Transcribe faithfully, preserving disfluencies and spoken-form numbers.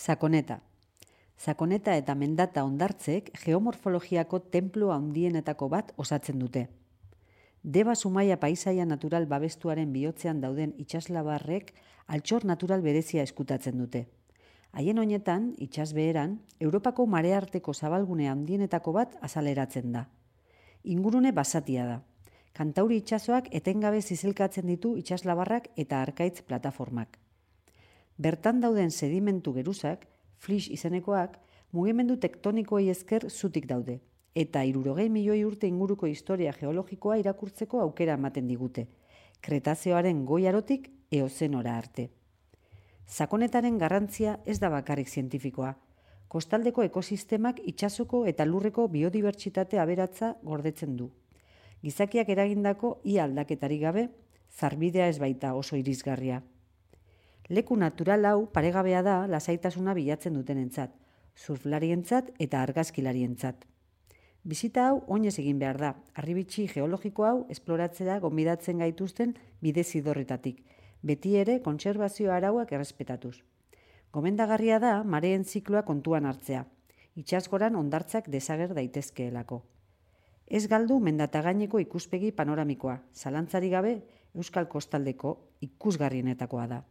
Sakoneta. Sakoneta eta Mendata hondartzek geomorfologiako tenplu handienetako bat osatzen dute. Deba Zumaia paisaia natural babestuaren bihotzean dauden itsaslabarrek altxor natural berezia eskutatzen dute. Haien honetan, itsasbeheran, Europako marearteko zabalgune handienetako bat azaleratzen da. Ingurune basatia da. Kantauri itsasoak etengabe zizelkatzen ditu itsaslabarrak eta arkaitz plataformak. Bertan dauden sedimentu geruzak, flis izenekoak, mugimendu tektonikoei esker zutik daude, eta hirurogei milioi urte inguruko historia geologikoa irakurtzeko aukera ematen digute, Kretazeoaren goi arotik Eozenora arte. Sakonetaren garrantzia ez da bakarrik zientifikoa, kostaldeko ekosistemak itsasoko eta lurreko biodibertsitate aberatsa gordetzen du. Gizakiak eragindako ia aldaketarik gabe, zarbidea ez baita oso irisgarria. Leku natural hau paregabea da lasaitasuna bilatzen dutenentzat, surflarientzat eta argazkilarientzat. Bizita hau oinez egin behar da, harribitxi geologiko hau esploratzera gonbidatzen gaituzten bide zidorretatik, beti ere kontserbazio arauak errespetatuz. Gomendagarria da mareen zikloa kontuan hartzea, itsasgoran hondartzak desager daitezkeelako. Ez galdu Mendatagaineko ikuspegi panoramikoa, zalantzarik gabe Euskal Kostaldeko ikusgarrienetakoa da.